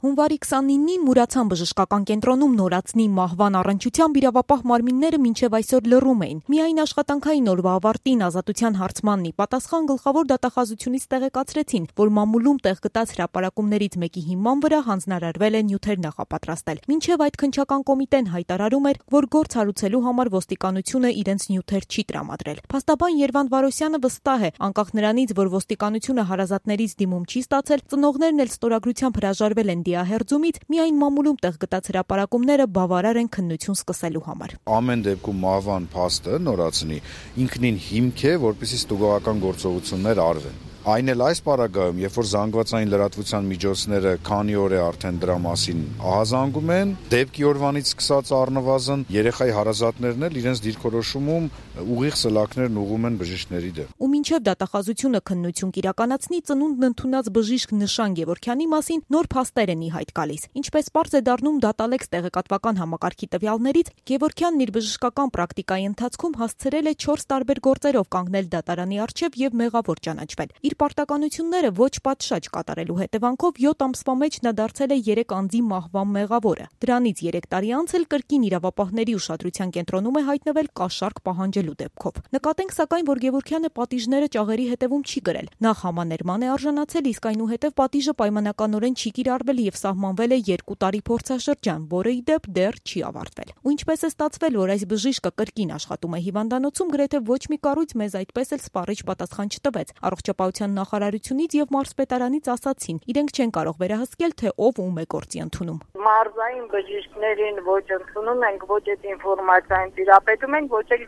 Հունվարի 29-ին Մուրացան բժշկական կենտրոնում նորածնի մահվան առնչությամբ իրավապահ մարմինները մինչև այսօր լռում էին։ Միայն աշխատանքային օրվա ավարտին ազատության հարցմանն ի պատասխան գլխավոր դատախազությունից տեղեկացրեցին, որ մամուլում տեղ գտած հրապարակումներից մեկի հիման վրա հանձնարարվել է նյութեր նախապատրաստել։ Մինչև այդ քննչական կոմիտեն հայտարարում էր, որ գործ հարուցելու համար ոստիկանությունը իրենց նյութեր չի տրամադրել։ Փաստաբան Երվանդ Վարոսյանը վստահ է, անկախ նրանից, որ ոստիկանությունը հարազատներից դիմում չի ստացել, ծնողներն էլ ստորագրությամբ հրաժարվել են դիահերձումից, միայն մամուլում տեղ գտած հրապարակումները բավարար են քննություն սկսելու համար։ Ամեն դեպքում մահվան փաստը նորածնի ինքնին հիմք է, որպեսզի ստուգողական գործողություններ արվեն։ Այն էլ այս պարագայում, երբ որ զանգվածային լրատվության միջոցները քանի օր է արդեն դրա մասին ահազանգում են, դեպքի օրվանից սկսած առնվազն երեխայի հարազատներն էլ իրենց դիրքորոշումում ուղիղ սլաքներն ուղղում են բժիշկների դեմ։ Ու մինչև դատախազությունը քննություն կիրականացնի, ծնունդն ընդունած բժիշկ Նշան Գևորգյանի մասին նոր փաստեր են ի հայտ գալիս։ Ինչպես պարզ է դառնում Դատալեքս տեղեկատվական համակարգի տվյալներից, Գևորգյանն իր բժշկական պրակտիկայի ընթացքում հասցրել է 4 տարբեր գործերով կանգնել դատարանի առջև եւ մեղավոր ճանաչվել։ Իր պարտականությունները ոչ պատշաճ կատարելու հետևանքով 7 ամսվա մեջ նա դարձել է 3 անձի մահվան մեղավորը։ Դրանից 3 տարի անց էլ կրկին իրավապահների ուշադրության կենտրոնում է հայտնվել կաշառք պահանջելու դեպքով։ Նկատենք սակայն, որ Գևորգյանը պատիժները ճաղերի հետևում չի գրել։ Նախ համաներման է արժանացել, իսկ այնուհետև պատիժը պայմանականորեն չի կիրառվել եւ սահմանվել է 2 տարի փորձաշրջան, որը ի դեպ դեռ չի ավարտվել։ Ու ինչպես է ստացվել, որ այս բժիշկը կրկին աշխատում է հիվանդանոցում, գրեթե ոչ մի կառույց մեզ այդպես էլ սպառիչ պատասխան չտվեց։ Առողջապահության նախարարությունից եւ մարզպետարանից ասացին, իրենք չեն կարող վերահսկել, թե ով ում է գործի ընդունում։ Մարզային բժիշկներին ոչ ընդունում ենք, ոչ այդ ինֆորմացիային տիրապետում ենք, ոչ էլ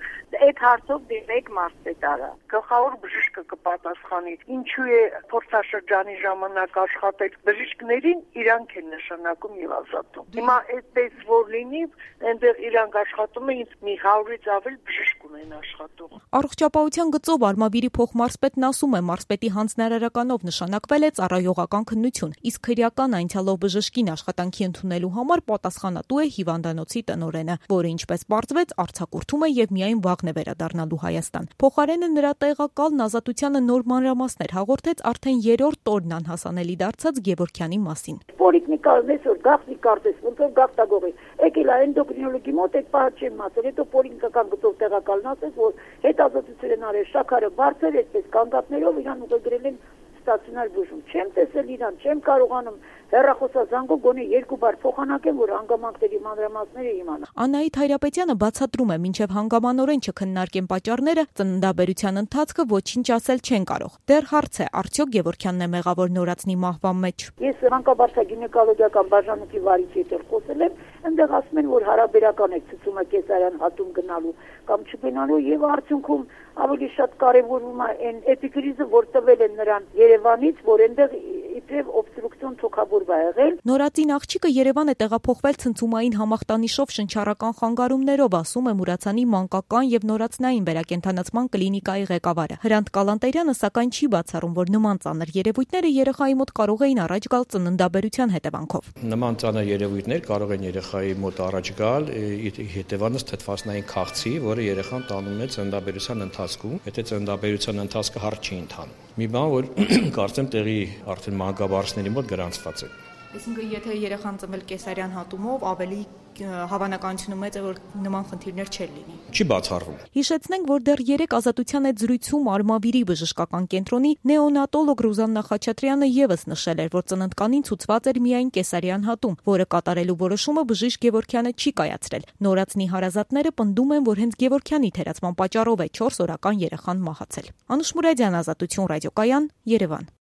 այդ հարցով դիմեք մարզպետարան։ Գլխավոր բժիշկը կպատասխանի, ինչու է փորձաշրջանի ժամանակ աշխատել բժիշկներին, իրանք են նշանակում եւ ազատում։ Հիմա այդպես որ լինի, այնտեղ իրանք աշխատում են, մի 100-ից ավել բժիշկ ունեն աշխատող։ Առողջապահության գծով Արմավիրի փոխմարզպետն ասում է, մարզպետի հանձնարարականով նշանակվել է ծառայողական քննություն, իսկ քրեական այնցալով բժշկին աշխատանքի ընդունելու համար պատասխանատու է հիվանդանոցի տնօրենը, որը ինչպես պարզվեց, արձակուրդում է եւ միայն վաղն է վերադառնալու Հայաստան։ Փոխարենը նրա տեղակալն Ազատությանը նոր մանրամասներ հաղորդեց արդեն 3-րդ օրն անհասանելի դարձած Գևորգյանի մասին։ Պոլիկլինիկան այսօր գաղտնի կարծես, ոնց որ գաղտագողի։ Եկել է էնդոկրինոլոգի մոտ, այդ պահը չեմ ասել, հետո պոլիկլինիկական գծով տեղակալն ասեց, որ հետազոտություն են արել, շաքարը բարձր, այսպես կանգատներով իրան ուղղագրել են ստացիոնար բուժում։ Չեմ տեսել իրան, չեմ կարողանում հեռախոսազանգով գոնե 2 բար փոխանակեմ, որ հանգամանքների մանրամասները իմանա։ Անահիտ Հայրապետյանը բացատրում է, մինչև հանգամանորեն չքննարկեն պատճառները, ծննդաբերության ընթացքը ոչինչ ասել չեն կարող։ Դեռ հարց է, արդյոք Գևորգյանն է մեղավոր նորածնի մահվան մեջ։ Ես մանկաբարձագինեկոլոգիական բաժանմունքի վարիչի հետ խոսել եմ, այնտեղ ասում են, որ հարաբերական է ցուցումը կեսարյան հատում գնալու կամ չգնալու եւ արդյունքում ավելի շատ կարևորում է այն էպիկրիզը, որ տվել են նրան Երևանից, որ այնտեղ իբրև օբստրուկցիոն թոքաբորբ է եղել։ Նորածին աղջիկը Երևան է տեղափոխվել ցնցումային համախտանիշով շնչառական խանգարումներով, ասում է Մուրացանի մանկական եւ նորածնային վերակենդանացման կլինիկայի ղեկավարը։ Հրանտ Կալանտերյանը սակայն չի բացառում, որ նման ծանր երևույթները երեխայի մոտ կարող էին առաջ գալ ծննդաբերության հետևանքով։ Նման ծանր երևույթներ կարող են երեխայի մոտ առաջ գալ հետևանից թթվասնային քաղցի, որը երեխան տանում է ծննդաբերության ընթացքում, եթե ծննդաբերության ընթացքը հարթ չի ընթանում։ Մի բան, որ կարծեմ տեղի արդեն մանկաբարձների մոտ գրանցված է։ Այսինքն, եթե երեխան ծնվել կեսարյան հատումով, ավելի հավանականությունը մեծ է, որ նման խնդիրներ չեն լինի։ Չի բացառվում։ Հիշեցնենք, որ դեռ 3 ազատության այդ զրույցում Արմավիրի բժշկական կենտրոնի նեոնատոլոգ Ռուզաննա Խաչատրյանը եւս նշել էր, որ ծննդկանին ցուցված էր միայն կեսարյան հատում, որը կատարելու որոշումը բժիշկ Գևորգյանը չի կայացրել։ Նորածնի հարազատները պնդում են, որ հենց Գևորգյանի թերացման պատճառով է 4 օրական երեխան մահացել։ Անուշ Մուրադյան, Ազատություն ռադիոկայան, Երևան։